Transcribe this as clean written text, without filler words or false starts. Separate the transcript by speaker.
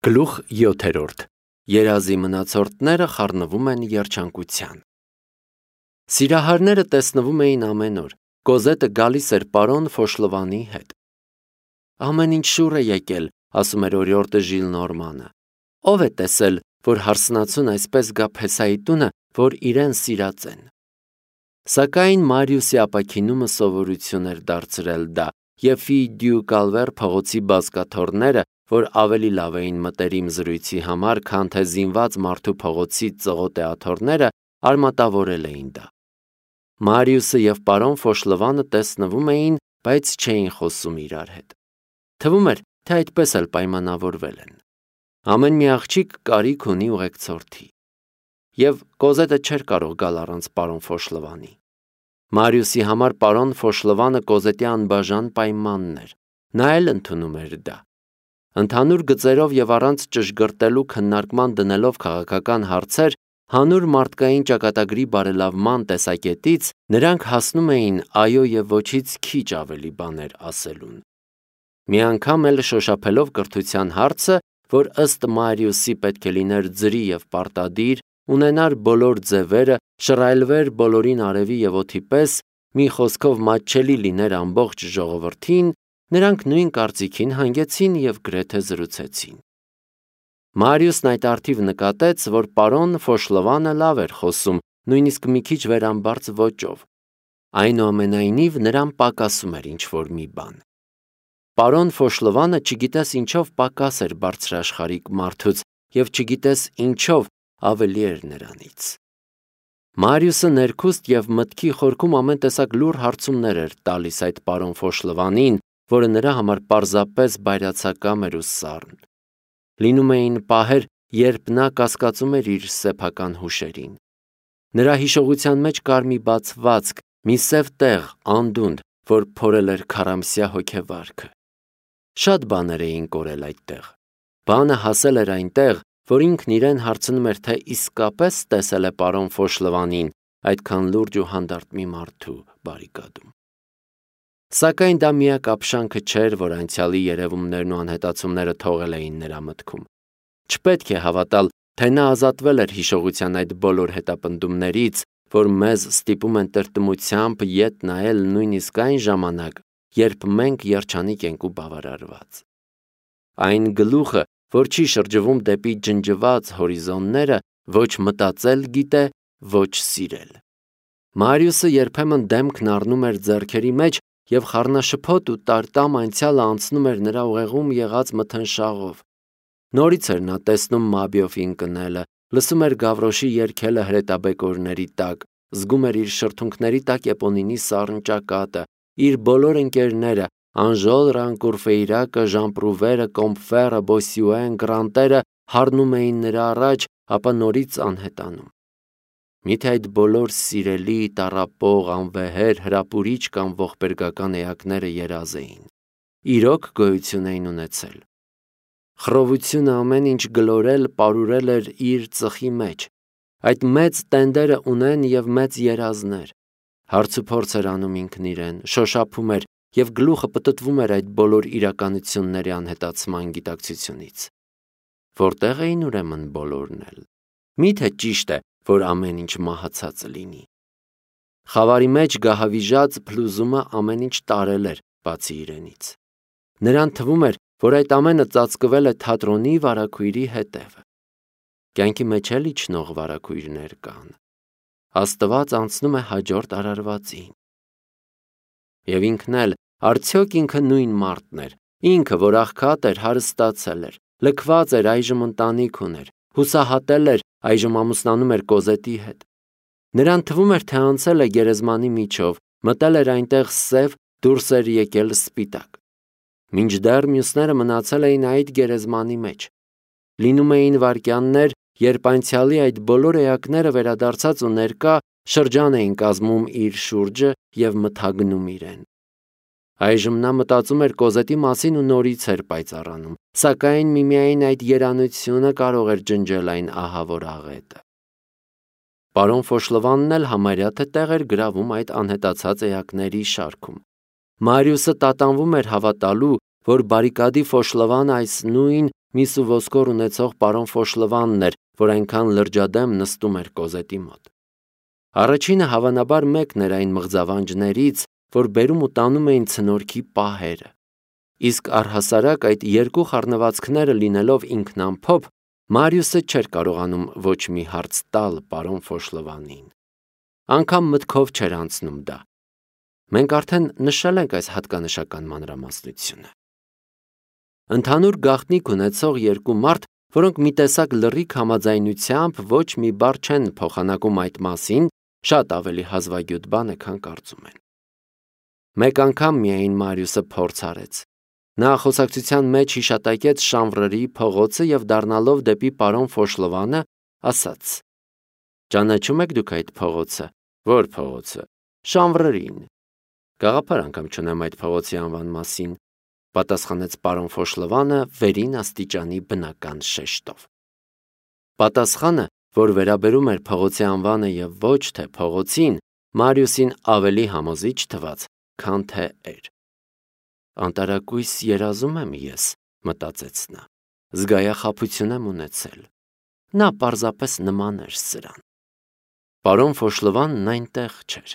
Speaker 1: Գլուխ 7. Երազի մնացորդները խառնվում են երջանկության։ Սիրահարները տեսնվում էին ամեն օր։ Կոզետը գալիս էր պարոն Ֆոշլովանի հետ։ Ամեն ինչ շուռ է եկել, ասում էր օրիորդը Ժիլնորմանը։ Ով է տեսել, որ հարսնացուն այսպես գա Փեսայի տունը, որ իրեն սիրած են։ Սակայն Մարիուսի ապաքինումը սովորություն էր դարձրել դա, եւ Ֆի դյու Կալվեր փողոցի բազկաթոռները, որ ավելի լավ էին մտերիմ զրույցի համար, քան թե զինված մարդու փողոցի ծղոտեաթոռները, արմատավորել էին դա։ Մարիուսը եւ պարոն Ֆոշլովանը տեսնվում էին, բայց չէին խոսում իրար հետ։ Թվում էր, թե այդպես էլ պայմանավորվել են։ Ամեն մի աղջիկ կարիք ունի ուղեկցորդի։ Եվ Կոզետը չէր կարող գալ առանց պարոն Ֆոշլովանի։ Մարիուսի համար պարոն Ֆոշլովանը Կոզետի անբաժան պայմանն էր։ Նա էլ ընդունում էր դա։ Ընդհանուր գծերով եւ առանց ճշգրտելու քննարկման դնելով քաղաքական հարցեր, հանուր մարդկային ճակատագրի բարելավման տեսակետից նրանք հասնում էին այո եւ ոչից քիչ ավելի բաներ ասելուն։ Մի անգամ էլ շոշափելով կրթության հարցը, որ ըստ Մարիուսի պետք է լիներ ձրի եւ պարտադիր, ունենար բոլոր ձևերը, շռայլվեր բոլորին արևի եւ օդի պես, մի խոսքով մատչելի լիներ ամբողջ ժողովրդին, նրանք նույն կարծիքին հանգեցին եւ գրեթե զրուցեցին։ Մարիուսն այդ արդիվ նկատեց, որ պարոն Ֆոշլովանը լավ էր խոսում, նույնիսկ մի քիչ վերամբարձ ոճով։ Այնուամենայնիվ նրան պակասում էր ինչ-որ մի բան։ Պարոն Ֆոշլովանը չգիտես ինչով պակաս էր բարձրաշխարհիկ մարդուց եւ չգիտես ինչով ավելի էր նրանից։ Մարիուսը ներքուստ եւ մտքի խորքում ամեն տեսակ լուր հարցումներ էր տալիս այդ պարոն Ֆոշլովանին, որը նրա համար պարզապես բայրացակամ էր ու սառն։ Լինում էին պահեր, երբ նա կասկածում էր իր սեփական հուշերին։ Նրա հիշողության մեջ կար մի բացվածք, մի սև տեղ, անդունդ, որ փորել էր քառամսյա հոգեվարքը։ Շատ բաներ էին կորել այդտեղ։ Բանը հասել էր այնտեղ, որ ինքն իրեն հարցնում էր, թե իսկապես տեսել է պարոն Ֆոշլովանին այդքան լուրջ ու հանդարտ մի մարդու բարիկադում։ Սակայն դա միակ ապշանքը չէր, որ անցյալի երևումներն ու անհետացումները թողել էին նրա մտքում։ Չպետք է հավատալ, թե նա ազատվել էր հիշողության այդ բոլոր հետապնդումներից, որ մեզ ստիպում են տրտմությամբ ետ նայել նույնիսկ այն ժամանակ, երբ մենք երջանիկ ենք ու բավարարված։ Այն գլուխը, որ չի շրջվում դեպի ջնջված հորիզոնները, ոչ մտածել գիտե, ոչ սիրել։ Մարիուսը երբեմն դեմքն առնում էր ձեռքերի մեջ եւ խառնաշփոթ ու տարտամ անցյալը անցնում էր նրա ուղեղում եղած մթնշաղով։ Նորից էր նա տեսնում Մաբիոֆին կնելը, լսում էր Գավրոշի երգելը հրետաբեկորների տակ, զգում էր իր շրթունքների տակ Էպոնինի սառն ճակատը, իր բոլոր ընկերները, Անժոլ, Ռանկուրֆեյրակը, Ժանպրուվերը, Կոմփֆերը, Բոսյուեն, Գրանտերը հառնում էին նրա առաջ, ապա նորից անհետանում։ Միթե այդ բոլոր սիրելի, տառապող, անվեհեր, հրապուրիչ կամ ողբերգական էակները երազ էին։ Իրոք գոյություն էին ունեցել։ Խռովությունը ամեն ինչ գլորել, պարուրել էր իր ծխի մեջ։ Այդ մեծ տենդերը ունեն եւ մեծ երազներ։ Հարցուփորձ էր անում ինքն իրեն, շոշափում էր եւ գլուխը պտտվում էր այդ բոլոր իրականությունների անհետացման գիտակցությունից։ Որտեղ էին ուրեմն բոլորն էլ։ Միթե ճիշտ է, որ ամեն ինչ մահացած լինի։ Խավարի մեջ գահավիժած փլուզումը ամեն ինչ տարել էր, բացի իրենից։ Նրան թվում էր, որ այդ ամենը ծածկվել է թատրոնի վարակույրի հետևը։ Կյանքի մեջ էլ իջնող վարակույրներ կան։ Աստված անցնում է հաջորդ արարվածին։ Եվ ինքն էլ, արդյոք ինքը նույն մարդն էր, ինքը, որ աղքատ էր, հարստացել էր, լքված էր, այժմ ընտանիք ուներ, հուսահատել էր, այժմ ամուսնանում էր Կոզետի հետ։ Նրան թվում էր, թե անցել է գերեզմանի միջով, մտել էր այնտեղ սև, դուրս էր եկել սպիտակ։ Մինչդեռ մյուսները մնացել էին այդ գերեզմանի մեջ։ Լինում էին վայրկյաններ, երբ անցյալի այդ բոլոր էակները վերադարձած ու ներկա շրջան էին կազմում իր շուրջը եւ մթագնում իրեն։ Այժմ նա մտածում էր Կոզետի մասին ու նորից էր պայծառանում, սակայն միմիայն այդ երանությունը կարող էր ջնջել այն ահավոր աղետը։ Պարոն Ֆոշլովանն էլ համարյա թե տեղ էր գրավում այդ անհետացած էակների շարքում։ Մարիուսը տատանվում էր հավատալու, որ բարիկադի Ֆոշլովանը այս նույն միս ու ոսկոր ունեցող պարոն Ֆոշլվանն էր, որ այնքան լրջադեմ նստում էր Կոզետի մոտ։ Առաջինը հավանաբար մեկն էր այն մղձավանջներից, որ բերում ու տանում էին ցնորքի պահերը։ Իսկ առհասարակ այդ երկու խառնվածքները լինելով ինքնամփոփ, Մարիուսը չէր կարողանում ոչ մի հարց տալ պարոն Ֆոշլվանին։ Անգամ մտքով չէր անցնում դա։ Մենք արդեն նշել ենք այս հատկանշական մանրամասնությունը։ Ընդհանուր գաղտնիք ունեցող երկու մարդ, որոնք մի տեսակ լռիկ համաձայնությամբ ոչ մի բառ չեն փոխանակում այդ մասին, շատ ավելի հազվագյուտ բան է, քան կարծում են։ Մեկ անգամ միայն Մարիուսը փորձ արեց։ Նա խոսակցության մեջ հիշատակեց Շանվրերի փողոցը եւ դառնալով դեպի պարոն Ֆոշլվանը, ասաց. «Ճանաչում եք դուք այդ փողոցը»։ «Ո՞ր փողոցը»։ «Շանվրերին»։ «Գաղափար անգամ չունեմ այդ փողոցի անվան մասին», պատասխանեց պարոն Ֆոշլվանը վերին աստիճանի բնական շեշտով։ Պատասխանը, որ վերաբերում էր փողոցի անվանը եւ ոչ թե փողոցին, Մարիուսին ավելի համոզիչ թվաց, քան թե էր։ «Անտարակույս երազում եմ ես», մտածեց նա, զգայախաբություն եմ ունեցել։ Նա պարզապես նման էր սրան։ Պարոն Ֆոշլվանն այնտեղ չէր։